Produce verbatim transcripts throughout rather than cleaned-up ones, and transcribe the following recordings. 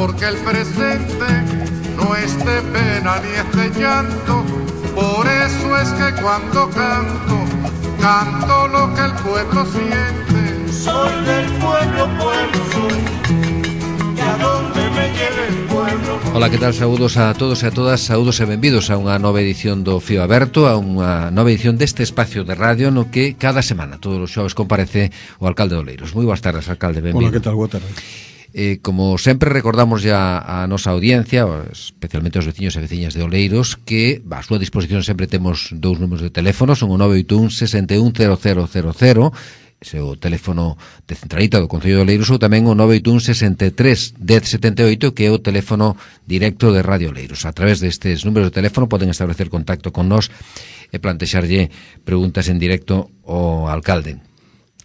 porque el presente no es de pena ni es de llanto. Por eso es que cuando canto, canto lo que el pueblo siente. Soy del pueblo, pueblo soy, e a donde me lleve el pueblo. Ola, que tal? Saúdos a todos e a todas, saúdos e benvidos a unha nova edición do Fío Aberto, a unha nova edición deste espacio de radio no que cada semana, todos os xoves, comparece o alcalde de Oleiros. Moi boas tardes, alcalde, benvido. Ola, que tal? Boa tarde. Eh, como sempre, recordamos ya a nosa audiencia, especialmente aos veciños e veciñas de Oleiros, que a súa disposición sempre temos dous números de teléfono, son o nove oito un, seis un, cero cero cero cero, ese é o teléfono de centralita do Concello de Oleiros, ou tamén o nove oito un, seis tres, dez setenta e oito, que é o teléfono directo de Radio Oleiros. A través destes números de teléfono poden establecer contacto con nós e plantexarlle preguntas en directo ao alcalde.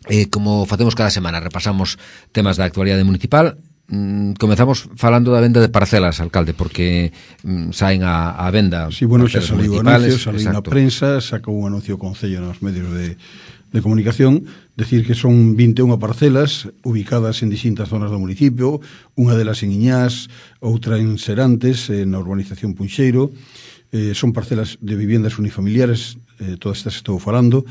Eh, como facemos cada semana, repasamos temas da actualidade municipal. Mm, comezamos falando da venda de parcelas, alcalde, porque mm, saen a, a venda. Sí, bueno, xa saliu o anuncio, saliu na prensa, sacou un anuncio o Concello nos medios de, de comunicación, decir que son vinte e unha parcelas ubicadas en distintas zonas do municipio, unha delas en Iñás, outra en Serantes, na urbanización Punxeiro. Eh, son parcelas de viviendas unifamiliares, eh, todas estas estou falando,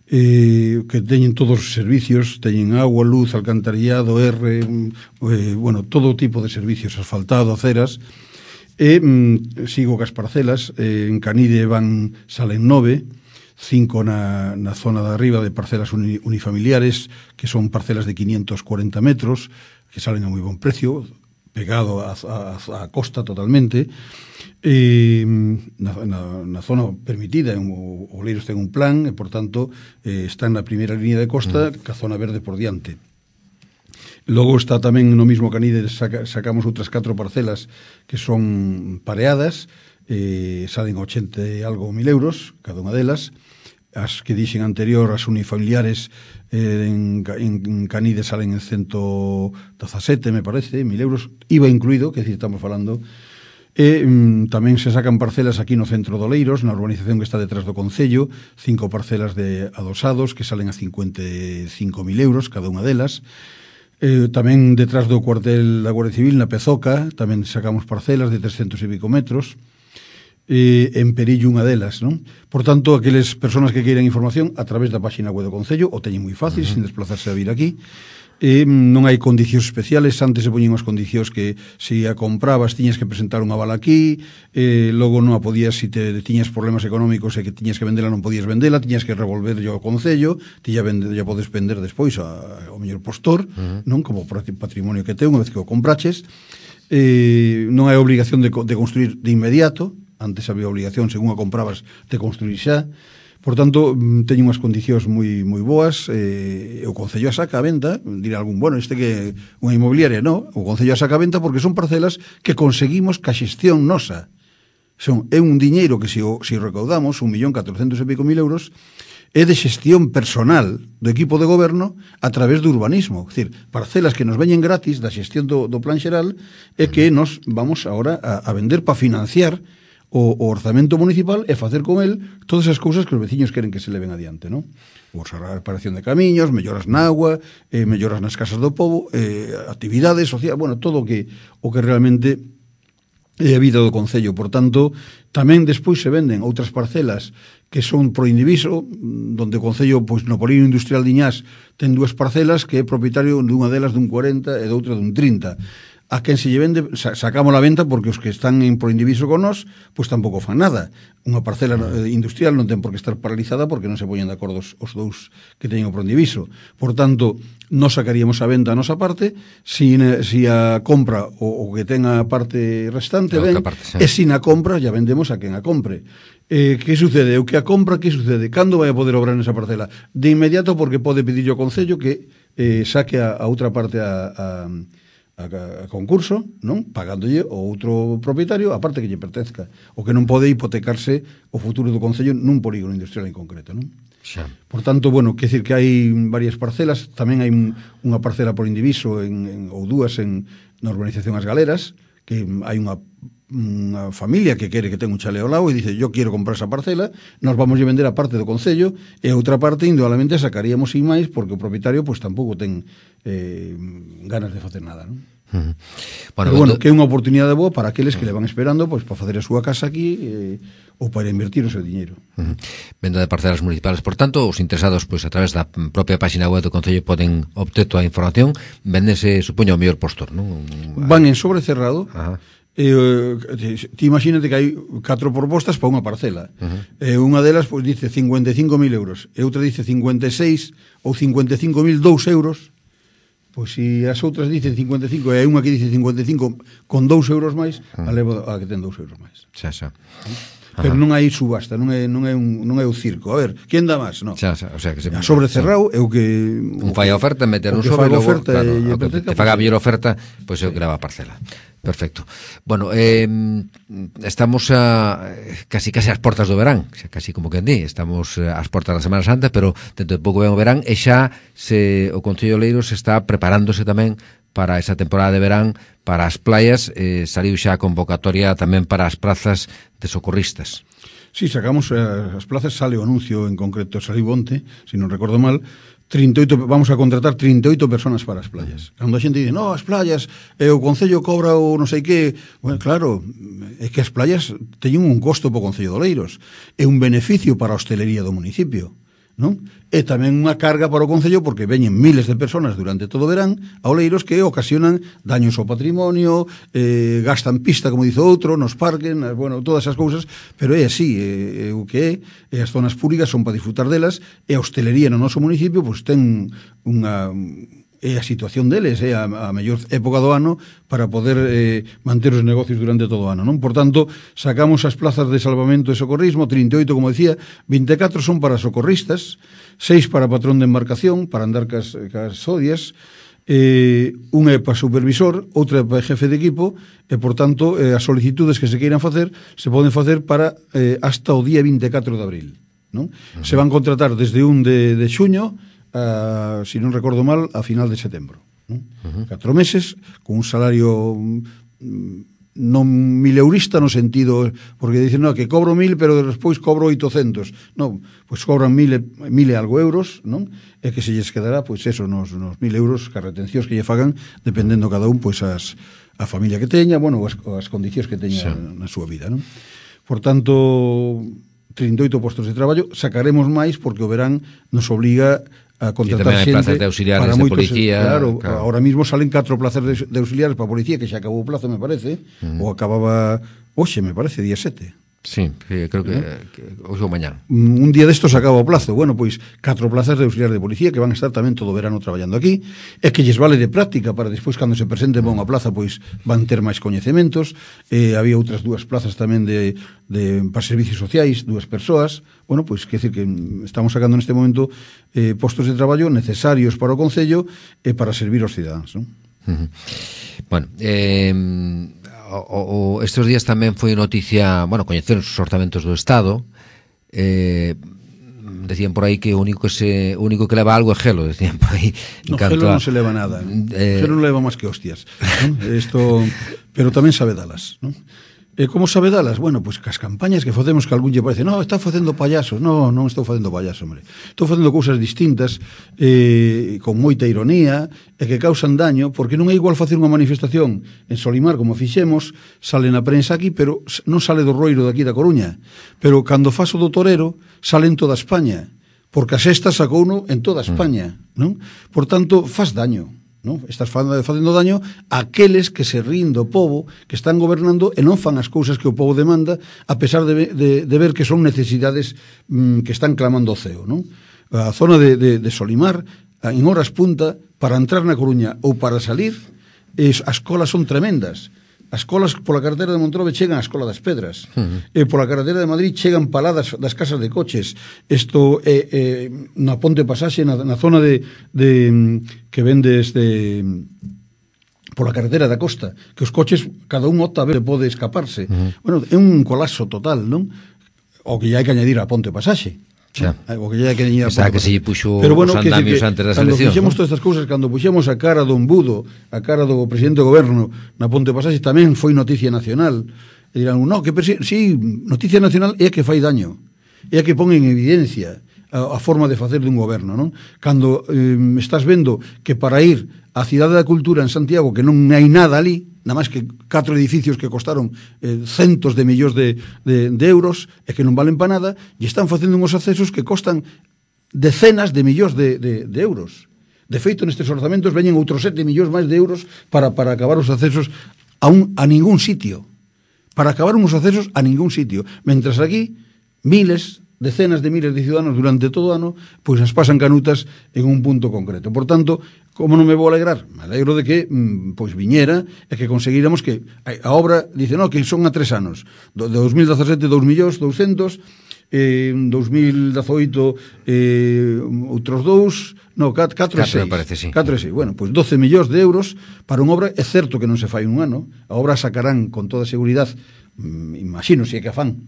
eh, que teñen todos os servicios, teñen agua, luz, alcantarillado, R, eh, bueno, todo tipo de servicios, asfaltado, aceras. E mm, sigo cas parcelas, eh, en Canide van, salen nove, cinco na, na zona de arriba de parcelas uni, unifamiliares, que son parcelas de quinientos cuarenta metros, que salen a moi bon precio, pegado a, a, a costa totalmente. E, na, na, na zona permitida, o Oleiros ten un plan e, por tanto, eh, está na primeira línea de costa, mm. ca zona verde por diante. Logo está tamén no mismo Canide, saca, sacamos outras catro parcelas que son pareadas, eh, salen ochenta e algo mil euros cada unha delas. As que dixen anterior, as unifamiliares eh, en, en Canide salen en ciento dezasete, me parece, mil euros, I V A incluído, que decir, estamos falando. E mm, tamén se sacan parcelas aquí no centro de Oleiros, na urbanización que está detrás do Concello, cinco parcelas de adosados que salen a cincuenta e cinco mil euros cada unha delas. Eh, tamén detrás do cuartel da Guardia Civil, na Pezoca, tamén sacamos parcelas de trescentos e pico metros. Eh, en Perillo unha delas, non? Por tanto, aqueles persoas que queiran información a través da página web do Concello, o teñen moi fácil, uh-huh. sin desplazarse a vir aquí. Eh, non hai condicións especiales. Antes se poñen as condicións que se a comprabas tiñas que presentar unha aval aquí, eh, logo non a podías, se te tiñas problemas económicos e que tiñas que vendela non podías vendela, tiñas que revolver ao Concello, ti ya, vende, ya podes vender despois a, ao mellor postor, uh-huh. non? Como patrimonio que ten unha vez que o compraches. Eh, non hai obligación de, de construir de inmediato. Antes había obligación, según a comprabas, de construir xa. Por tanto, teñen unhas condicións moi moi boas. Eh, o Concello a saca a venta, dirá algún, bueno, este que unha inmobiliaria, non, o Concello a saca a venta porque son parcelas que conseguimos ca xestión nosa. Son, é un diñeiro que se o, se o recaudamos, un millón catrocentos e pico mil euros, é de xestión personal do equipo de goberno a través do urbanismo. É dicir, parcelas que nos veñen gratis da xestión do, do plan xeral e que nos vamos agora a, a vender para financiar o, o orzamento municipal e facer con el todas as cousas que os veciños queren que se leven adiante, non? O a reparación de camiños, melloras na agua, eh, melloras nas casas do pobo, eh, actividades sociais, bueno, todo o que o que realmente é a vida do Concello. Por tanto, tamén despois se venden outras parcelas que son pro indiviso, donde o Concello, pois no polígono industrial de Iñás, ten dúas parcelas que é propietario dunha delas dun cuarenta e doutra dun trinta. A quen se lle vende, sacamos a venta porque os que están en proindiviso con nós, pois tampouco fan nada. Unha parcela industrial non ten por que estar paralizada porque non se poñen de acordo os, os dous que teñen o proindiviso. Por tanto, nos sacaríamos a venta a nosa parte, si, si a compra o, o que ten a parte restante, ben, parte, sí. E si na compra ya vendemos a quen a compre. Eh, que sucede? O que a compra, que sucede? Cando vai a poder obrar nesa parcela? De inmediato, porque pode pedirlle ao Concello que eh, saque a, a outra parte a... a A, a concurso, non? Pagándolle o outro propietario a parte que lle pertezca, o que non pode hipotecarse o futuro do Concello nun polígono industrial en concreto, non? Xa. Por tanto, bueno, quer decir que hai varias parcelas, tamén hai unha parcela por indiviso en, en, ou dúas en, na urbanización As Galeras, que hai unha unha familia que quere que ten un chale ao lado e dice, yo quiero comprar esa parcela, nos vamos a vender a parte do Concello e a outra parte indudablemente sacaríamos sin máis porque o propietario pois tampouco ten eh, ganas de facer nada, non? Uh -huh. Bueno, pero, bueno, que é unha oportunidade boa para aqueles que le van esperando pois, para facer a súa casa aquí eh, ou para invertir o seu diñeiro. Uh -huh. Venda de parcelas municipales. Por tanto, os interesados pois, a través da propia página web do Concello poden obter toda a información. Véndese, supoño, o mellor postor, non? Van en sobre cerrado. Ajá. Eh, ti imagínate que hai catro propostas para unha parcela. Uh -huh. eh, unha delas pois, dice cincuenta e cinco mil euros e outra dice cincuenta e seis ou cincuenta e cinco mil dous euros. Pois se as outras dicen cincuenta e cinco e hai unha que dice cincuenta e cinco con dous euros máis, uh -huh. a levo a que ten dous euros máis. Xa, xa. Pero non hai subasta, non é non é un non é o circo. A ver, quen dá máis? No. Xa, xa, o sea que se a sobre cerrado é o que un fai a oferta, meter un sobre e logo, oferta claro, e o que te faga a mellor oferta, pois eu grava a parcela. Perfecto. Bueno, eh, estamos a casi casi ás portas do verán, xa casi como que di, estamos ás portas da Semana Santa, pero dentro de pouco ven o verán e xa se o Concello de Oleiros está preparándose tamén para esa temporada de verán, para as playas, eh, saliu xa a convocatoria tamén para as plazas de socorristas. Sí, sacamos eh, as plazas, sale o anuncio en concreto, saliu onte, se non recordo mal, trinta e oito, vamos a contratar trinta e oito personas para as playas. Cando a xente dice, no, as playas, eh, o Concello cobra o non sei que, bueno, claro, é que as playas teñen un costo para o Concello de Oleiros, é un beneficio para a hostelería do municipio, non? E tamén unha carga para o Concello porque veñen miles de personas durante todo o verán a Oleiros que ocasionan daños ao patrimonio, eh, gastan pista, como dice outro, nos parques, bueno, todas esas cousas, pero é así, é, é o que é, e as zonas públicas son para disfrutar delas, e a hostelería no noso municipio pois ten unha... é a situación deles, é a, a mellor época do ano para poder eh, manter os negocios durante todo o ano, non? Por tanto, sacamos as plazas de salvamento e socorrismo, trinta e oito, como decía, vinte e catro son para socorristas, seis para patrón de embarcación, para andar cas, cas odias, eh, unha é para supervisor, outra é para jefe de equipo, e, por tanto, eh, as solicitudes que se queiran facer se poden facer para eh, hasta o día vinte e catro de abril, non? Uh-huh. Se van contratar desde un de, de xuño Uh, si non recordo mal, a final de setembro, non? Uh -huh. Catro meses, con un salario mm, non mileurista no sentido, porque dicen, no, que cobro mil, pero despois cobro oitocentos. Non, pois cobran mil, mil e algo euros, non? E que se lles quedará, pois eso, nos, nos mil euros, que as retencións que lle fagan, dependendo cada un, pois as, a familia que teña, bueno, as, as condicións que teña sí. na súa vida, non? Por tanto, trinta e oito postos de traballo, sacaremos máis porque o verán nos obliga a contratar xente plazas de auxiliares de policía, claro, claro. Ahora mismo salen catro plazas de, de auxiliares para a policía, que xa acabou o plazo, me parece, uh -huh. ou acababa hoxe, me parece, día sete. Sí, creo que, ¿no? que hoxe ou mañá. Un día destos acaba o plazo. Bueno, pois, catro plazas de auxiliar de policía que van a estar tamén todo o verano traballando aquí, e que lles vale de práctica para despois, cando se presenten a unha plaza, pois van ter máis coñecementos. Eh, había outras dúas plazas tamén de, de para servicios sociais, dúas persoas. Bueno, pois, quer dizer que estamos sacando neste momento eh, postos de traballo necesarios para o Concello e para servir aos cidadáns, non? Uh -huh. Bueno, eh... O, o, estes días tamén foi noticia, bueno, coñecer os orzamentos do Estado, eh, decían por aí que o único que se o único que leva algo é gelo, decían por aí. No, gelo a, non se leva nada, eh, gelo non leva máis que hostias, ¿no? Esto, pero tamén sabe dalas, ¿no? E como sabe dalas? Bueno, pois pues, cas campañas que facemos que algún lle parece, no, está facendo payasos. No, non estou facendo payaso, hombre. Estou facendo cousas distintas, eh, con moita ironía, e que causan daño, porque non é igual facer unha manifestación en Solimar, como fixemos, sale na prensa aquí, pero non sale do Roiro de aquí da Coruña. Pero cando faso do Torero, sale en toda España, porque a sexta sacou uno en toda España, non? Por tanto, faz daño. Non? Estás facendo daño a aqueles que se rín do povo, que están gobernando e non fan as cousas que o povo demanda, a pesar de, de, de ver que son necesidades mm, que están clamando o ceo, non? A zona de, de, de Solimar, en horas punta, para entrar na Coruña ou para salir, es, as colas son tremendas. As colas pola carretera de Montrobe chegan á Escola das Pedras, uh -huh. e pola carretera de Madrid chegan paladas das casas de coches. Isto é eh, eh, na Ponte Pasaxe, na, na zona de, de que vendes de pola carretera da costa, que os coches cada un opta a ver se pode escaparse. Uh -huh. Bueno, é un colapso total, non? O que ya hai que añadir a Ponte Pasaxe. Xa. O que ya que teñía, Esa que se lle puxo pero bueno, os andamios antes das eleccións. Cando fixemos ¿no? todas estas cousas, cando puxemos a cara do embudo, a cara do presidente do goberno na Ponte Pasaxe, tamén foi noticia nacional. E dirán, no, que sí, noticia nacional é que fai daño, é que pon en evidencia a, a forma de facer dun goberno, non? Cando eh, estás vendo que para ir a Cidade da Cultura en Santiago, que non hai nada ali, nada máis que catro edificios que costaron eh, centos de millóns de, de, de euros e que non valen para nada, e están facendo uns accesos que costan decenas de millóns de, de, de euros. De feito, nestes orzamentos veñen outros sete millóns máis de euros para, para acabar os accesos a, un, a ningún sitio. Para acabar uns accesos a ningún sitio. Mentras aquí, miles, decenas de miles de ciudadanos durante todo o ano, pois as pasan canutas en un punto concreto. Por tanto, como non me vou alegrar? Me alegro de que pois viñera e que conseguíramos que a obra, dice, no, que son a tres anos. De dos mil dezasete, dous millóns douscentos, eh, dos mil dezoito, eh, outros dous, no, catro e seis. Sí. catro e seis. Bueno, pois doce millóns de euros para unha obra, é certo que non se fai un ano, a obra sacarán con toda seguridade, imagino se é que a fan,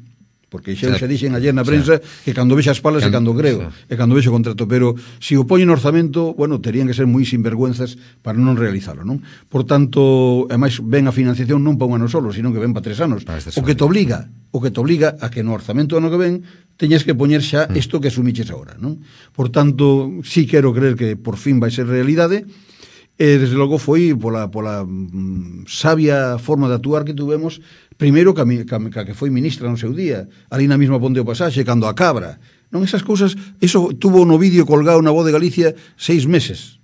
porque xa xa dixen ayer na prensa que cando vexa as palas é cando creo, e cando vexo o contrato, pero se o poñen no orzamento, bueno, terían que ser moi sinvergüenzas para non realizalo, non? Por tanto, ademais, ven a financiación non para un ano solo, sino que ven para tres anos. O que te obliga, o que te obliga a que no orzamento do ano que ven teñas que poñer xa isto que asumiches agora, non? Por tanto, sí quero creer que por fin vai ser realidade. E, desde logo, foi pola, pola mm, sabia forma de actuar que tuvemos, primeiro que, a, que, que foi ministra no seu día, ali na mesma Ponte do Pasaxe, cando a Cabra. Non, esas cousas, eso tuvo no vídeo colgado na Voz de Galicia seis meses.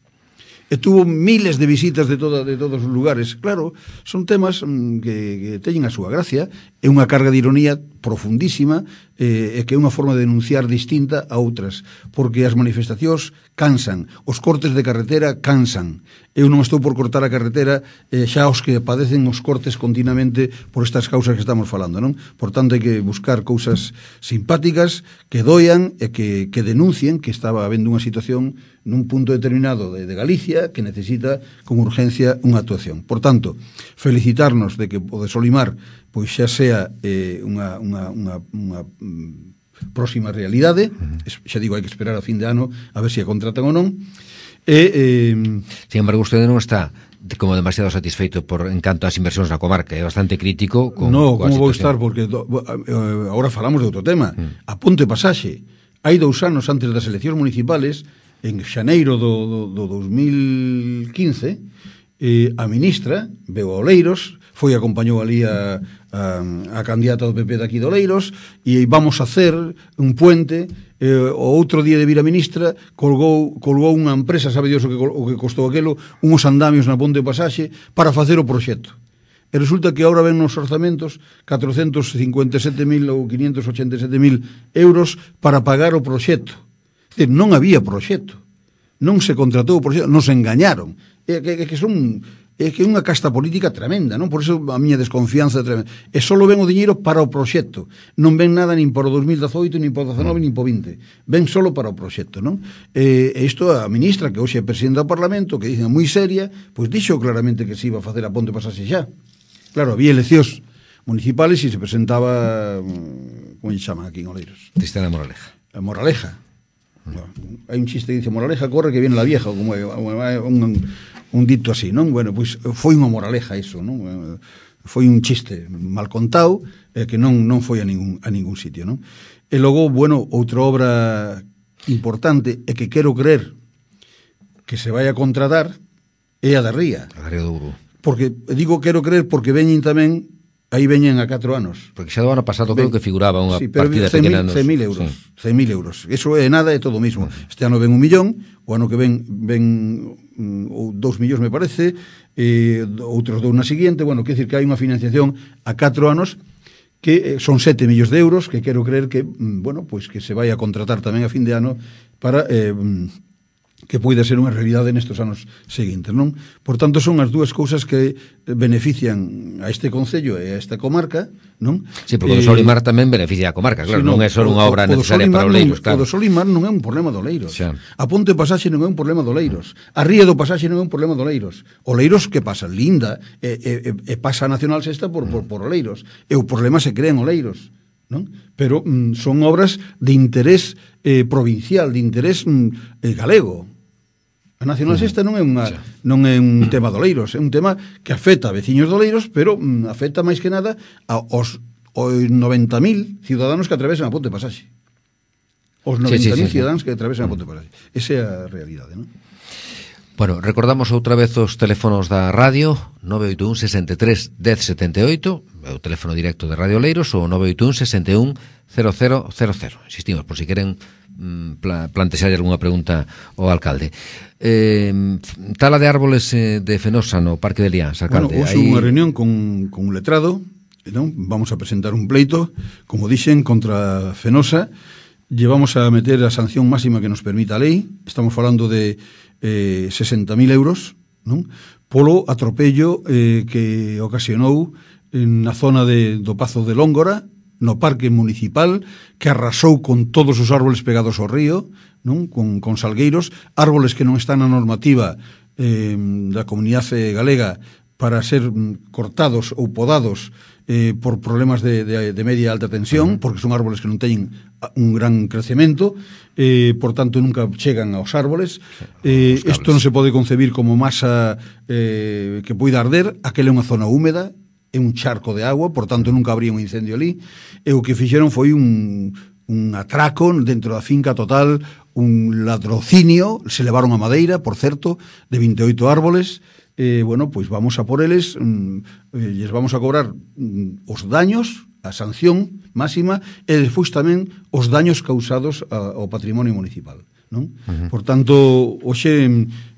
E tuvo miles de visitas de, toda, de todos os lugares. Claro, son temas mm, que, que teñen a súa gracia, é unha carga de ironía profundísima, eh, e que é unha forma de denunciar distinta a outras, porque as manifestacións cansan, os cortes de carretera cansan. Eu non estou por cortar a carretera, eh, xa os que padecen os cortes continuamente por estas causas que estamos falando, non? Por tanto, hai que buscar cousas simpáticas que doian e que, que denuncien que estaba habendo unha situación nun punto determinado de, de Galicia que necesita con urgencia unha actuación. Por tanto, felicitarnos de que o de Solimar pois xa sea eh, unha, unha, unha, unha mm, próxima realidade. Uh-huh. Xa digo, hai que esperar a fin de ano a ver se a contratan ou non. E, eh, sin embargo, usted non está como demasiado satisfeito por en canto ás inversións na comarca, é bastante crítico con, no, con como vou estar, porque do, eh, agora falamos de outro tema. Mm. A Ponte Pasaxe, hai dous anos antes das eleccións municipales, en xaneiro do, do, do dos mil quince, eh, a ministra veu a Oleiros, foi e acompañou ali a, a, a candidata do P P daqui de Oleiros, e vamos a hacer un puente. Eh, o outro día de vir a ministra colgou, colgou unha empresa, sabe Dios o que, o que costou aquelo, uns andamios na Ponte de Pasaxe para facer o proxecto. E resulta que agora ven nos orzamentos catrocentos cincuenta e sete mil ou quinhentos ochenta e sete mil euros para pagar o proxecto. É dicir, non había proxecto, non se contratou o proxecto, nos engañaron. É que, que son... é que é unha casta política tremenda, non? Por iso a miña desconfianza é tremenda. E só ven o diñeiro para o proxecto. Non ven nada nin para o dos mil dezoito, nin para o dezanove, nin para o vinte. Ven solo para o proxecto, non? E isto a ministra, que hoxe é presidenta do Parlamento, que dicen moi seria, pois dixo claramente que se iba a facer a Ponte Pasaxe xa. Claro, había eleccións municipales e se presentaba, como lle chaman aquí en Oleiros? Tristana Moraleja. A Moraleja. No, hai un chiste que dice, Moraleja corre que viene la vieja, como un... un dito así, non? Bueno, pois foi unha moraleja iso, non? Foi un chiste mal contado, eh, que non non foi a ningún a ningún sitio, non? E logo, bueno, outra obra importante e que quero creer que se vai a contratar é a da Ría. A da Ría do Uru. Porque digo quero creer porque veñen tamén, aí veñen a catro anos. Porque xa do ano pasado creo que figuraba unha sí, partida pequena nos... cen mil euros, sí. cen mil euros. Eso é nada, é todo o mismo. Este ano ven un millón, o ano que ven ven ou dous millóns me parece, e outros dous na seguinte. Bueno, quer decir que hai unha financiación a catro anos que son sete millóns de euros, que quero creer que, bueno, pois que se vai a contratar tamén a fin de ano para eh, que poida ser unha realidade nestes anos seguintes, non? Por tanto, son as dúas cousas que benefician a este concello e a esta comarca, non? Sí, porque o do Solimar tamén beneficia a comarca, claro, sí, non, non é só unha obra necesaria para Oleiros, claro. O do Solimar non é un problema do Oleiros. Xa. A Ponte Pasaxe non é un problema do Oleiros. A Ría do Pasaxe non é un problema do Oleiros. Oleiros, que pasa? Linda, e, e, e pasa a Nacional Sexta por, por, por Oleiros. E o problema se crea en Oleiros, non? Pero mm, son obras de interés eh, provincial, de interés mm, eh, galego. A Nacional Sexta non é unha non é un tema de Oleiros, é un tema que afecta a veciños de Oleiros, pero mm, afecta máis que nada aos, aos noventa mil ciudadanos que atravesan a Ponte Pasaxe. Os noventa mil sí, sí, sí, ciudadanos sí. que atravesan a Ponte Pasaxe. Esa é a realidade, non? Bueno, recordamos outra vez os teléfonos da radio, nove oito un, sesenta e tres, dez, setenta e oito, o teléfono directo de Radio Oleiros, ou nove oito un, sesenta e un, cero cero cero cero. Insistimos, por si queren mm, pla, plantexar algunha pregunta ao alcalde. Eh, tala de árboles eh, de Fenosa no Parque de Liáns, alcalde. Bueno, hoxe hai... unha reunión con, con un letrado, non? Vamos a presentar un pleito, como dixen, contra Fenosa. Llevamos a meter a sanción máxima que nos permita a lei. Estamos falando de eh, sesenta mil euros, non? Polo atropello eh, que ocasionou na zona de, do Pazo de Lóngora, no parque municipal, que arrasou con todos os árboles pegados ao río, non? Con, con salgueiros, árboles que non están na normativa eh, da comunidade galega para ser cortados ou podados eh, por problemas de, de, de media e alta tensión, uh-huh. porque son árboles que non teñen un gran crecemento, eh, por tanto nunca chegan aos árboles. Eh, isto non se pode concebir como masa eh, que poida arder. Aquela é unha zona húmeda, é un charco de agua, por tanto nunca habría un incendio ali, e o que fixeron foi un, un atraco dentro da finca total, un ladrocinio. Se levaron a madeira, por certo, de vinte e oito árboles. Eh, bueno, pois vamos a por eles, mm, eh, lles vamos a cobrar mm, os daños, a sanción máxima, e despois tamén os daños causados a, ao patrimonio municipal, non? Uh-huh. Por tanto, hoxe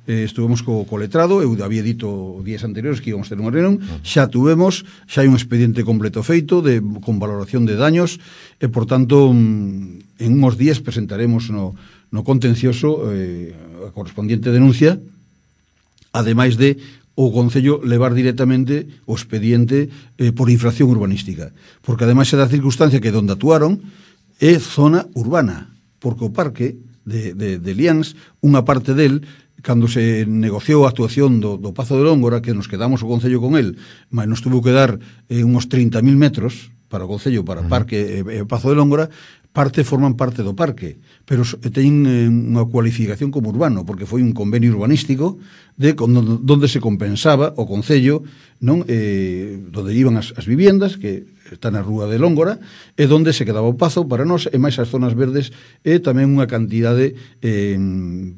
eh, estuvemos co, co letrado, eu había dito días anteriores que íbamos a ter unha reunión, uh-huh. xa tuvemos, xa hai un expediente completo feito de, con valoración de daños, e por tanto mm, en uns días presentaremos no, no contencioso eh, a correspondiente denuncia, ademais de o Concello levar directamente o expediente eh, por infracción urbanística. Porque ademais é da circunstancia que donde actuaron é zona urbana, porque o parque de, de, de Liáns, unha parte del, cando se negociou a actuación do, do Pazo de Lóngora, que nos quedamos o Concello con el, mas nos tuvo que dar eh, uns trinta mil metros para o Concello, para o parque e eh, eh, Pazo de Lóngora, parte forman parte do parque, pero teñen eh, unha cualificación como urbano, porque foi un convenio urbanístico de donde se compensaba o Concello, non, eh, donde iban as, as viviendas, que está na rúa de Lóngora, e donde se quedaba o Pazo para nós, e máis as zonas verdes, e tamén unha cantidade eh,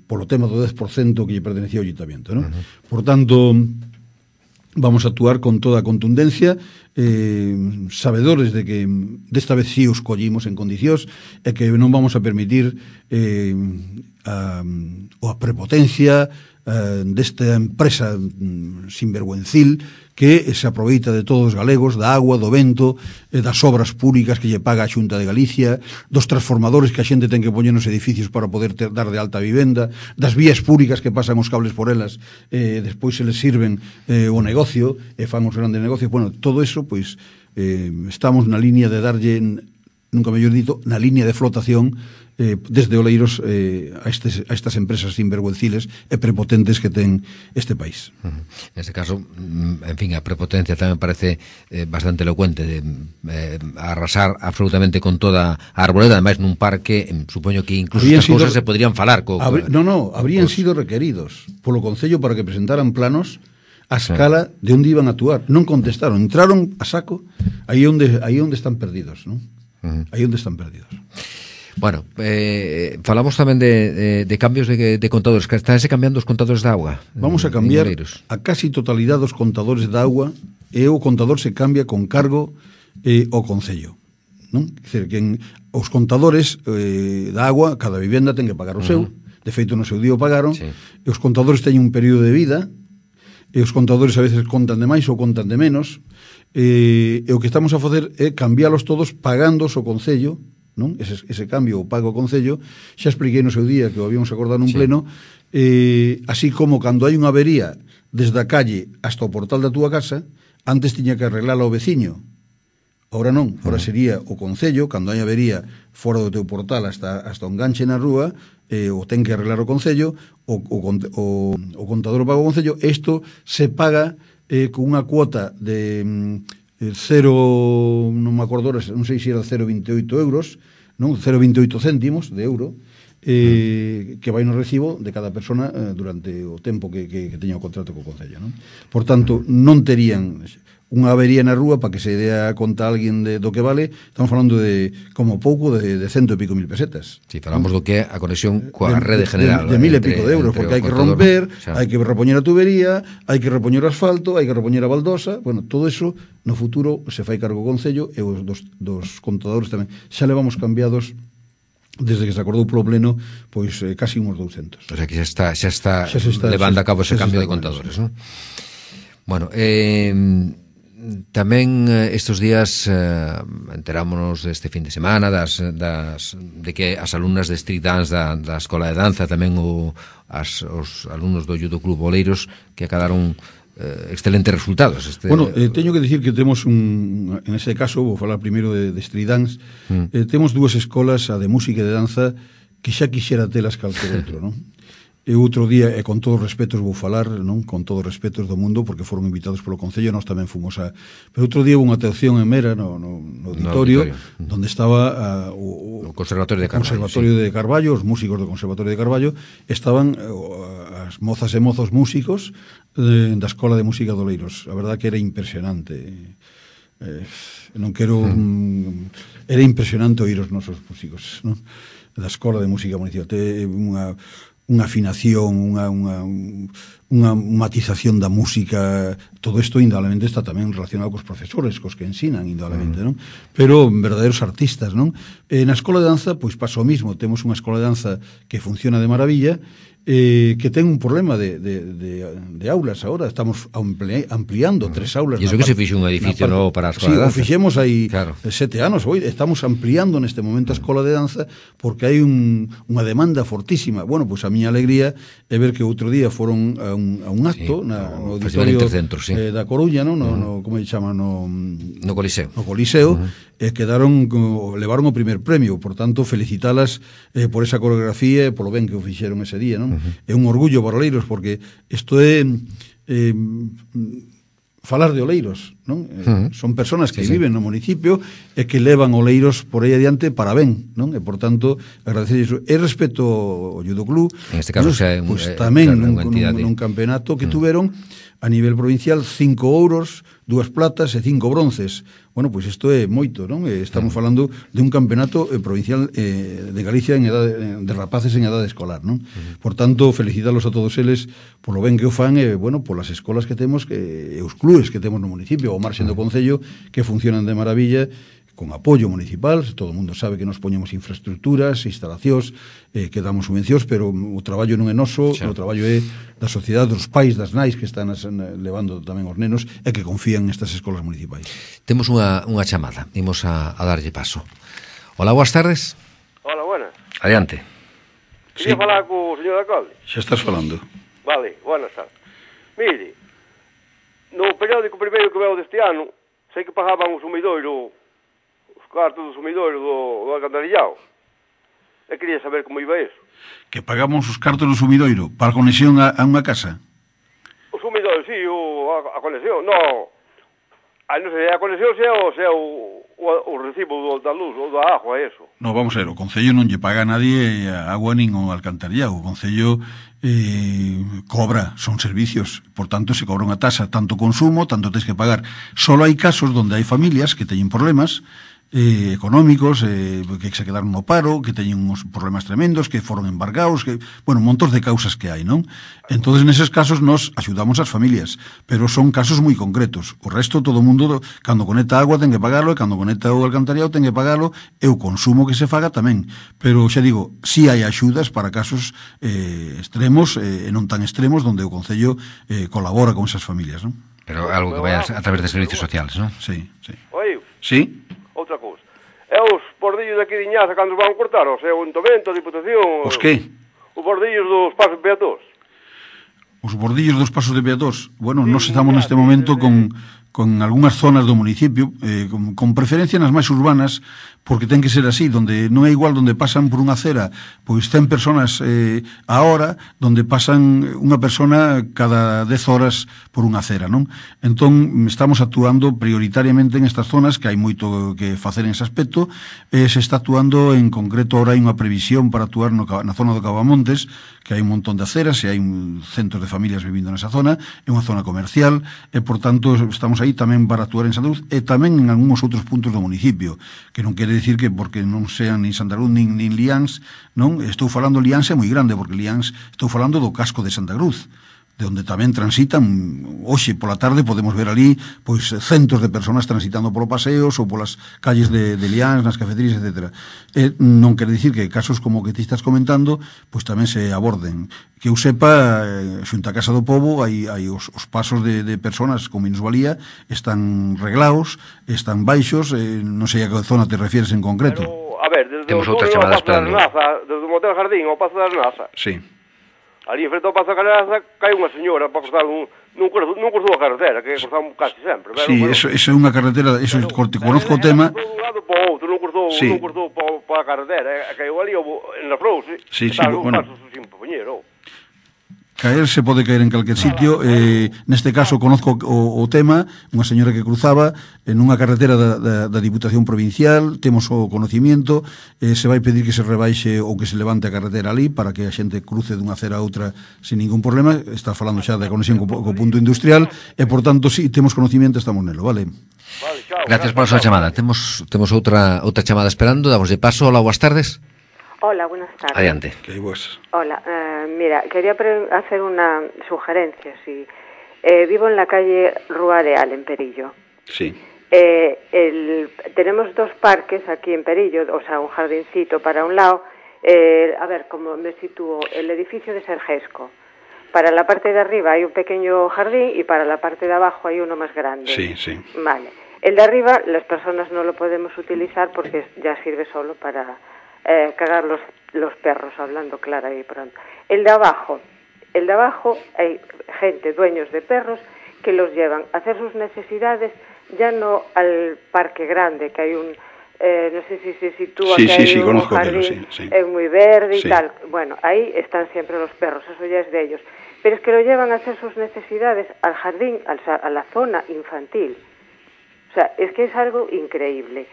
polo tema do dez por cento que lle pertenecía ao Ayuntamiento, non? Uh-huh. Por tanto, vamos a actuar con toda a contundencia, eh, sabedores de que desta vez sí os collimos en condicións e que non vamos a permitir eh, a, a prepotencia eh, desta empresa mm, sinvergüencil que se aproveita de todos os galegos, da agua, do vento, eh, das obras públicas que lle paga a Xunta de Galicia, dos transformadores que a xente ten que poñer nos edificios para poder ter, dar de alta a vivenda, das vías públicas que pasan os cables por elas, eh, despois se les sirven eh, o negocio, e fan os grandes negocios. Bueno, todo eso, pois, eh, estamos na línea de darlle, nunca mellor dito, na línea de flotación eh, desde Oleiros eh, a, estes, a estas empresas sinvergüenciles e prepotentes que ten este país. Uh-huh. En este caso, en fin, a prepotencia tamén parece eh, bastante elocuente de eh, arrasar absolutamente con toda a arboleda, ademais nun parque, eh, supoño que incluso estas sido, cousas se podrían falar co, habrí, No, no, habrían cos... sido requeridos polo Concello para que presentaran planos a escala sí. de onde iban a actuar. Non contestaron, entraron a saco aí onde, aí onde están perdidos, non? Uh-huh. Aí onde están perdidos. Bueno, eh, falamos tamén de, de, de cambios de, de contadores. Estánse cambiando os contadores de agua. Vamos a cambiar a casi totalidade dos contadores de agua, e o contador se cambia con cargo eh, ao Concello, non? Quer dizer, que en, os contadores eh, da agua, cada vivenda ten que pagar o seu, uh-huh. de feito no seu día o pagaron, sí. E os contadores teñen un período de vida, e os contadores a veces contan de máis ou contan de menos, e, e o que estamos a facer é cambiálos todos pagando o Concello, non? Ese, ese cambio o pago ao Concello. Xa expliquei no seu día que o habíamos acordado nun sí. pleno, eh, así como cando hai unha avería desde a calle hasta o portal da túa casa, antes tiña que arreglala o veciño, ahora non, ahora sería o Concello, cando hai avería fora do teu portal hasta, hasta o enganche na rúa, eh, o ten que arreglar o Concello, o, o, o, o contador o paga o Concello. Isto se paga eh, con unha cuota de mm, cero, non me acordo, non sei se era cero vírgula vinte e oito euros, non, cero vírgula vinte e oito céntimos de euro, eh, que vai no recibo de cada persona eh, durante o tempo que, que, que teña o contrato co Concello, non? Por tanto, non terían unha avería na rúa para que se dea conta a alguén de, do que vale, estamos falando de, como pouco, de, de cento e pico mil pesetas. Si, sí, falamos do que é a conexión coa rede general. De, de, de mil e pico de euros, porque hai que romper, xa. hai que repoñer a tubería, hai que repoñer o asfalto, hai que repoñer a baldosa, bueno, todo eso no futuro se fai cargo o Concello e os dos, dos contadores tamén. Xa levamos cambiados desde que se acordou polo pleno, pois eh, casi uns douscentos. O sea que xa está, xa está, xa está levando xa, a cabo ese cambio de contadores, ¿no? Bueno, eh, tamén estes días eh, enterámonos deste fin de semana das, das, de que as alumnas de street dance da, da Escola de Danza, tamén o, as, os alumnos do Judo Club Oleiros, que acadaron eh, excelentes resultados. Este... Bueno, eh, teño que dicir que temos un, en ese caso, vou falar primeiro de, de street dance, mm. eh, temos dúas escolas, a de música e de danza, que xa quixera telas calquer outro, non? E outro día, e con todos os respetos vou falar, non, con todos os respetos do mundo, porque foron invitados polo Concello, nós tamén fomos a... Pero outro día unha atención en Mera, no, no, no auditorio, no auditorio, donde estaba uh, o, o Conservatorio de Carballo, Conservatorio sí. de Carballo, os músicos do Conservatorio de Carballo, estaban uh, as mozas e mozos músicos de, da Escola de Música de Oleiros. A verdad que era impresionante. Eh, non quero... Mm. Era impresionante oír os nosos músicos, non? Da Escola de Música Municipal. Te, unha... unha afinación, unha, unha, unha matización da música, todo isto indudablemente está tamén relacionado cos profesores, cos que ensinan indudablemente, non? Pero verdadeiros artistas, non? E na escola de danza, pois pasa o mismo, temos unha escola de danza que funciona de maravilla, eh, que ten un problema de, de, de, de aulas agora, estamos ampli, ampliando uh-huh. tres aulas. E iso que se fixe un edificio novo para a escola sí, de danza. Sí, o fixemos aí claro. sete anos, hoy estamos ampliando neste momento a escola de danza porque hai un, unha demanda fortísima. Bueno, pois a miña alegría é ver que outro día foron a un, a un acto sí, na, no, no auditorio sí. eh, da Coruña, no, no, uh-huh. no como se chama, no, no Coliseo. No Coliseo, uh-huh. e quedaron, levaron o primer premio, por tanto, felicitalas eh, por esa coreografía e polo ben que o fixeron ese día, non? Uh-huh. É un orgullo para Oleiros, porque isto é eh, falar de Oleiros, non? Uh-huh. Son persoas que sí, viven sí. no municipio e que levan Oleiros por aí adiante para ben, non? E, por tanto, agradecer iso. E respecto ao Judo Club, en este caso, pues, xa é un, pues, tamén claro, nun, nun, nun campeonato que uh-huh. tuveron a nivel provincial cinco ouros, dúas platas e cinco bronces. Bueno, pois pues isto é moito, non? Estamos falando de un campeonato eh, provincial eh, de Galicia en edade, de rapaces en edade escolar, non? Uh-huh. Por tanto, felicitarlos a todos eles polo ben que o fan e, bueno, polas escolas que temos que, e os clubes que temos no municipio, o marxen do Concello, que funcionan de maravilla, con apoio municipal, todo o mundo sabe que nos poñemos infraestructuras, instalacións, eh, que damos subvencións, pero o traballo non é noso, sí. o traballo é da sociedade, dos pais, das nais que están as, levando tamén os nenos e que confían nestas escolas municipais. Temos unha, unha chamada, imos a, a darlle paso. Hola, boas tardes. Hola, buenas. Adiante. Quería Sí. falar co señor alcalde. Xa estás falando. Vale, buenas tardes. Mire, no periódico primeiro que veo deste ano, sei que pagaban o sumidoiro, os cartos do sumidoiro do, do alcantarillado. E quería saber como iba eso. Que pagamos os cartos do sumidoiro para a conexión a, a unha casa. O sumidoiro, sí, o, a, a conexión, no. A, non sei, a conexión se é o, se é o, o, o recibo do, da luz ou da agua, eso. No, vamos a ver, o Concello non lle paga a nadie a agua nin o alcantarillado. O Concello eh, cobra, son servicios, por tanto se cobra unha tasa, tanto consumo, tanto tens que pagar. Solo hai casos onde hai familias que teñen problemas eh, económicos, eh, que se quedaron no paro, que teñen uns problemas tremendos, que foron embargados, que, bueno, montos de causas que hai, non? Entonces, neses casos, nos axudamos as familias, pero son casos moi concretos. O resto, todo o mundo, cando conecta agua, ten que pagalo, e cando conecta o alcantarillado, ten que pagalo, e o consumo que se faga tamén. Pero, xa digo, si hai axudas para casos eh, extremos, eh, e non tan extremos, donde o Concello eh, colabora con esas familias, non? Pero algo que vaya a través de servicios sociales, non? Sí, sí. Oi, Sí? outra cousa. E os bordillos daqui de Iñaza cando os van cortar? O sea, o Ayuntamento, a Diputación... Os que? Os bordillos dos pasos peatós. Os bordillos dos pasos de peatós. Bueno, Sí, nós estamos neste momento con, con algunhas zonas do municipio, eh, con, con preferencia nas máis urbanas, porque ten que ser así, donde non é igual donde pasan por unha acera, pois ten personas eh, a hora, donde pasan unha persona cada dez horas por unha acera, non? Entón, estamos actuando prioritariamente en estas zonas, que hai moito que facer en ese aspecto, e se está actuando en concreto, ahora hai unha previsión para actuar no, na zona do Cavamontes, que hai un montón de aceras, e hai un centro de familias vivindo nesa zona, é unha zona comercial, e, por tanto, estamos estamos aí tamén para actuar en Santa Cruz e tamén en algúns outros puntos do municipio, que non quere decir que porque non sean nin Santa Cruz nin, nin Liáns, non? Estou falando Liáns é moi grande, porque Liáns estou falando do casco de Santa Cruz, de onde tamén transitan, hoxe pola tarde podemos ver ali pois centos de personas transitando polo paseos ou polas calles de, de Liáns, nas cafeterías, etcétera. E non quere dicir que casos como que ti estás comentando pois tamén se aborden. Que eu sepa, eh, xunto a Casa do Pobo hai, hai os, os pasos de, de personas con minusvalía están reglados, están baixos, eh, non sei a que zona te refieres en concreto. Pero, a ver, desde Temos o outra Pazo chamada da esperando. Arnaza, desde o Motel Jardín ao Pazo da Arnaza, Sí. ali en frente ao Pazo da Arnaza cai unha señora para cruzar un, nun cruzou, nun cruzou a carretera, que cruzamos casi sempre. Pero, Sí, bueno, eso, eso é unha carretera, eso pero, corte, pero conozco o ela tema. cruzou dun lado para o outro, non cruzou, Sí. non cruzou para, para a carretera, e caiu ali en la Frouse, Sí, sí, está un bueno. paso sin poñero. Caer se pode caer en calquer sitio, eh, neste caso conozco o, o tema, unha señora que cruzaba en unha carretera da, da, da Diputación Provincial, temos o conocimiento, eh, se vai pedir que se rebaixe ou que se levante a carretera ali para que a xente cruce dunha acera a outra sin ningún problema. Está falando xa da conexión co, co punto industrial e, por tanto, si temos conocimiento, estamos nelo, vale? Vale, chao. Gracias pola súa chamada. Temos temos outra outra chamada esperando, damos de paso. Hola, boas tardes. Hola, buenas tardes. Adiante. Que hai vos. Hola, eh, mira, quería pre- hacer una sugerencia. Si, eh, vivo en la calle Rúa Areal, en Perillo. Sí. Eh, el, tenemos dos parques aquí en Perillo, o sea, un jardincito para un lado. Eh, a ver, como me sitúo, el edificio de Sergesco. Para la parte de arriba hay un pequeño jardín y para la parte de abajo hay uno más grande. Sí, sí. Vale. El de arriba, las personas no lo podemos utilizar porque ya sirve solo para eh, cagar los, los perros, hablando clara y pronto. El de abajo, el de abajo hay gente, dueños de perros, que los llevan a hacer sus necesidades ya no al parque grande, que hay un, eh, no sé si se sitúa, Sí, que sí, hay sí, un conozco jardín aquello, sí, sí. eh, muy verde y Sí. tal. Bueno, ahí están siempre los perros, eso ya es de ellos. Pero es que lo llevan a hacer sus necesidades al jardín, al, a la zona infantil. O sea, es que es algo increíble.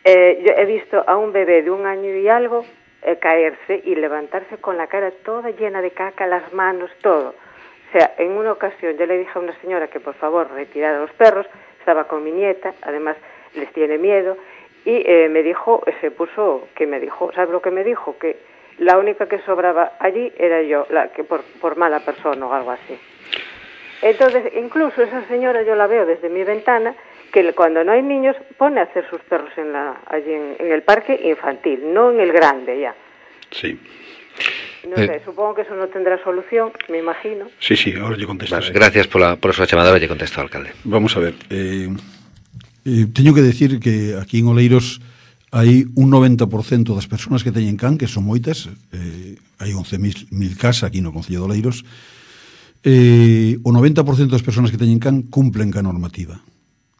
Eh, yo he visto a un bebé de un año y algo eh, caerse y levantarse con la cara toda llena de caca, las manos, todo. O sea, en una ocasión yo le dije a una señora que por favor retirara los perros, estaba con mi nieta, además les tiene miedo, y eh, me dijo, se puso, que me dijo, ¿sabe lo que me dijo? Que la única que sobraba allí era yo, la que por, por mala persona o algo así. Entonces, incluso esa señora yo la veo desde mi ventana, que cuando no hay niños pone a hacer sus perros en la, allí en, en el parque infantil, no en el grande ya. Sí. No Eh. sé, supongo que eso no tendrá solución, me imagino. Sí, sí, ahora lle contesto. Vale, gracias pola, por a súa chamada, lle contesto ao alcalde. Vamos a ver, eh, eh, teño que decir que aquí en Oleiros hai un noventa por cento das persoas que teñen can, que son moitas, eh, hai once mil casas aquí no Concello de Oleiros, eh, o noventa por cento das persoas que teñen can cumplen ca normativa.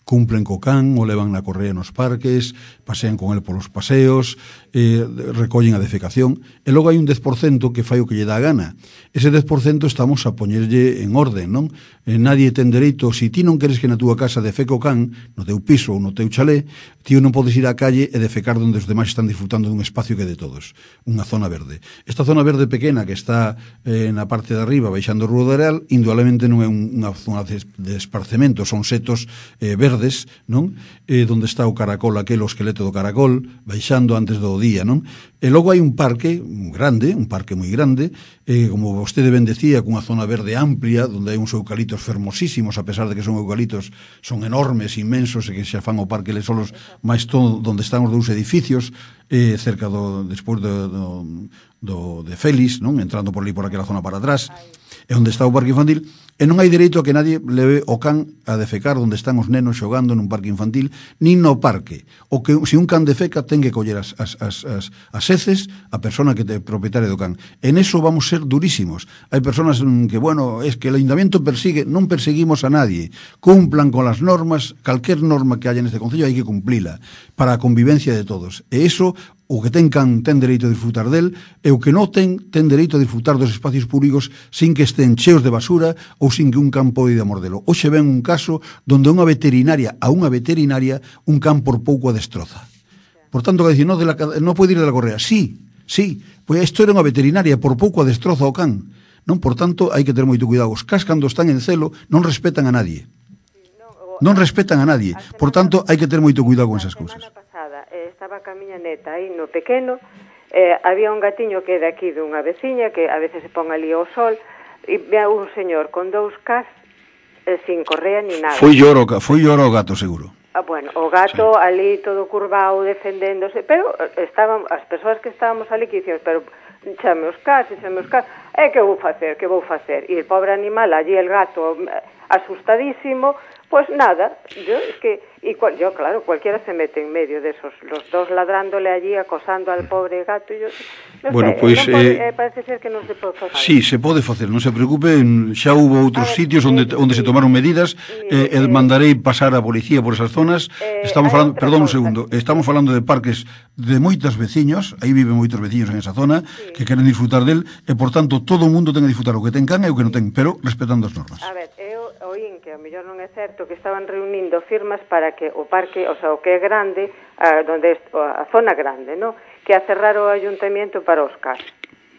Cumplen co can, o levan na correa nos parques, pasean con el polos paseos, eh, recollen a defecación, e logo hai un dez por cento que fai o que lle dá a gana. Ese dez por cento estamos a poñerlle en orden, non? Eh, nadie ten dereito, se ti non queres que na túa casa defeque o can, no teu piso ou no teu chalé, ti non podes ir á calle e defecar onde os demais están disfrutando dun espacio que é de todos, unha zona verde. Esta zona verde pequena que está eh, na parte de arriba, baixando o Rúa de Areal, indudablemente non é unha zona de esparcemento, son setos eh, verdes, non? Eh, donde está o caracol, aquel o esqueleto do caracol, baixando antes do día, non? E logo hai un parque grande, un parque moi grande, eh, como vostede ben decía, cunha zona verde amplia, donde hai uns eucalitos fermosísimos, a pesar de que son eucalitos, son enormes, inmensos, e que xa fan o parque les solos, máis todo donde están os dous edificios, eh, cerca do, despois do, do, do de Félix, non? Entrando por ali por aquela zona para atrás, é onde está o parque infantil, e non hai dereito a que nadie leve o can a defecar onde están os nenos xogando nun parque infantil, nin no parque. O que se un can defeca ten que coller as, as, as, as, as heces a persona que te propietaria do can. En eso vamos ser durísimos. Hai personas que, bueno, es que el ayuntamiento persigue, non perseguimos a nadie. Cumplan con las normas, calquer norma que haya neste concello hai que cumplila para a convivencia de todos. E eso, o que ten can ten dereito a disfrutar del, e o que non ten, ten dereito a disfrutar dos espacios públicos sin que estén cheos de basura ou sin que un can pode mordelo. Hoxe ven un caso donde unha veterinaria, a unha veterinaria, un can por pouco a destroza. Por tanto, que decir, no, de la, no pode ir de la correa. Sí, sí, pois isto era unha veterinaria, por pouco a destroza o can. Non, por tanto, hai que ter moito cuidado. Os cas, cando están en celo, non respetan a nadie. non respetan a nadie. Por tanto, hai que ter moito cuidado con esas cousas. A semana pasada eh, estaba ca miña neta aí no pequeno, eh, había un gatiño que é de aquí dunha veciña que a veces se pon ali ao sol e ve un señor con dous cas eh, sin correa ni nada. Foi lloro, foi lloro o gato, seguro. Ah, bueno, o gato sí. ali todo curvado defendéndose, pero estaban as persoas que estábamos ali que dicíamos, pero chame os cas, chame os cas, e que vou facer, que vou facer? E el pobre animal, allí el gato asustadísimo, pues nada, yo es que, y cual, yo claro, cualquiera se mete en medio de esos, los dos ladrándole allí, acosando al pobre gato, y yo, no bueno, sé, pues, non pode, eh, eh, parece ser que non se pode facer. Sí, se pode facer, non se preocupe, xa hubo outros ver, sitios onde, sí, onde se tomaron medidas, eh, eh, mandarei pasar a policía por esas zonas, eh, estamos falando, perdón un segundo, estamos falando de parques de moitas veciños, aí viven moitos veciños en esa zona, sí, que queren disfrutar del, e por tanto todo o mundo ten que disfrutar o que ten can e o que non ten, pero respetando as normas. A ver, eu oín que a mellor non é certo que estaban reunindo firmas para que o parque, o sea, o que é grande, a, donde é a zona grande, ¿no? Que a cerrar o ayuntamiento para os cas.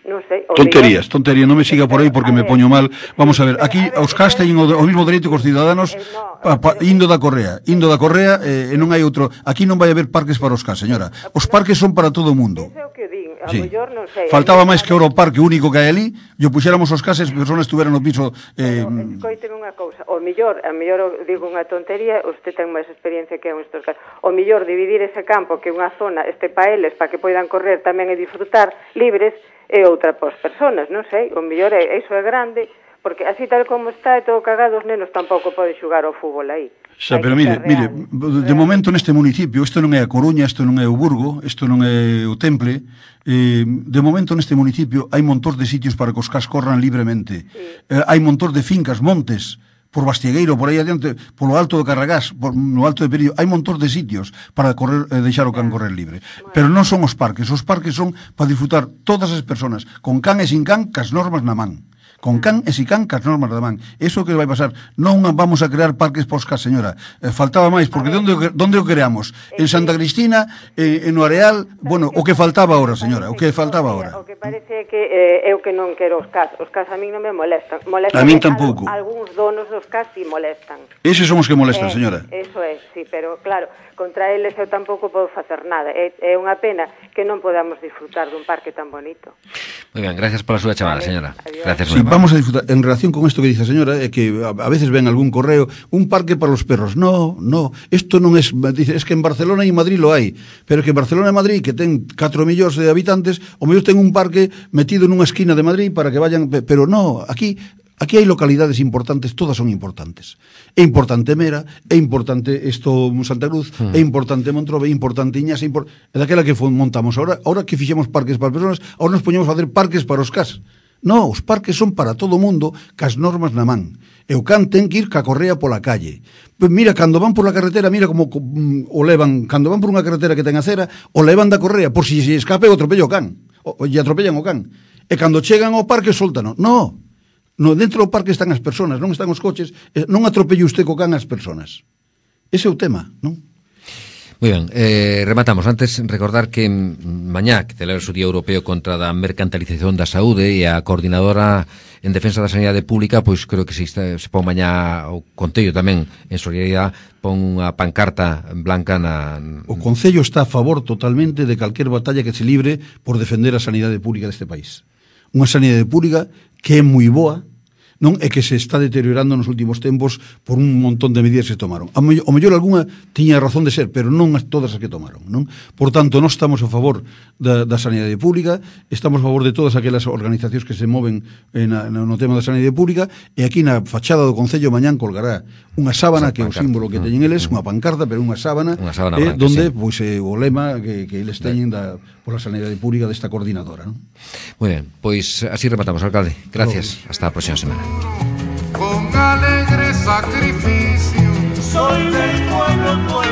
Non sei, tonterías, mellor... tonterías, non me siga por aí porque me poño mal. Vamos a ver, aquí os cas teñen o, o mismo dereito que os ciudadanos, eh, no, pa, pa, indo da Correa, indo da Correa, eh, e non hai outro. Aquí non vai haber parques para os cas, señora. Os parques son para todo o mundo. Eso é o que din, a sí. mellor non sei. Faltaba máis que o parque único que hai ali, e o puxéramos os cases, as persoas estuveran no piso. Eh... Pero, escoiten unha cousa, o mellor, a mellor digo unha tontería, usted ten máis experiencia que en estos casos. O mellor dividir ese campo que unha zona este para eles, para que poidan correr tamén e disfrutar libres, e outra pos persoas, non sei, o mellor é, iso é grande, porque así tal como está, e todo cagado, os nenos tampouco poden xugar ao fútbol aí. Xa, pero mire, mire, de real. momento neste municipio, isto non é a Coruña, isto non é o Burgo, isto non é o Temple, eh, de momento neste municipio hai montón de sitios para que os cas corran libremente, sí. eh, hai montón de fincas, montes, por Bastiegueiro, por aí adiante, polo alto do Carragás, por, no alto de Perillo, hai montón de sitios para correr, eh, deixar o can correr libre. Pero non son os parques, os parques son para disfrutar todas as persoas, con can e sin can, cas normas na man. Con can e sin can, cas normas na man. Eso que vai pasar. Non vamos a crear parques pos cas, señora. Eh, faltaba máis, porque onde, onde o creamos? En Santa Cristina, eh, en no Areal, bueno, o que faltaba ahora, señora, o que faltaba ahora. O que parece que eh, eu que non quero os cas, os cas a mí non me molestan. molestan a min tampouco. Algúns donos dos cas si molestan. Eses son os que molestan, eh, señora. Eso é, sí, pero claro, contra eles eu tampouco podo facer nada. É, é unha pena que non podamos disfrutar dun parque tan bonito. Moi ben, gracias pola súa chamada, señora. Adiós. Gracias, sí, vamos a disfrutar. En relación con esto que dice a señora, é que a, a veces ven algún correo, un parque para los perros. No, no, isto non es, dice, es que en Barcelona e en Madrid lo hai, pero que en Barcelona e Madrid, que ten catro millóns de habitantes, o mellor ten un parque metido nunha esquina de Madrid para que vayan, pero no, aquí Aquí hai localidades importantes, todas son importantes. É importante Mera, é importante isto Santa Cruz, mm. é importante Montrobe, é importante Iñas, é, import... é daquela que montamos. Ahora, ahora que fixemos parques para as persoas, ahora nos poñemos a facer parques para os cas. No, os parques son para todo o mundo, cas normas na man. E o can ten que ir ca correa pola calle. Pues mira, cando van por la carretera, mira como um, o levan, cando van por unha carretera que ten acera, o levan da correa, por si se escape o atropella o can, o, o lle atropellan o can. E cando chegan ao parque, soltano. No, no, dentro do parque están as persoas, non están os coches, non atropelle usted co can as persoas. Ese é o tema, non? Moi ben, eh, rematamos. Antes, recordar que mañá que celebra o Día Europeo contra a mercantilización da saúde e a coordinadora en defensa da sanidade pública, pois creo que se, se pon mañá o Concello tamén en solidariedade, pon unha pancarta blanca na... O Concello está a favor totalmente de calquer batalla que se libre por defender a sanidade pública deste país. Unha sanidade pública que é moi boa, non é que se está deteriorando nos últimos tempos por un montón de medidas que se tomaron. O mellor, o mellor algunha tiña razón de ser, pero non as todas as que tomaron, non? Por tanto, nós estamos a favor da, da sanidade pública, estamos a favor de todas aquelas organizacións que se moven na, no tema da sanidade pública, e aquí na fachada do Concello mañán colgará unha sábana, que é o símbolo que teñen eles, unha pancarta, pero unha sábana, unha sábana eh, branca, donde, sí. pois, eh, o lema que, que eles teñen da, pola sanidade pública desta coordinadora, non? Moi ben, pois así rematamos, alcalde. Gracias, hasta a próxima semana. Con alegre sacrificio soy del pueblo.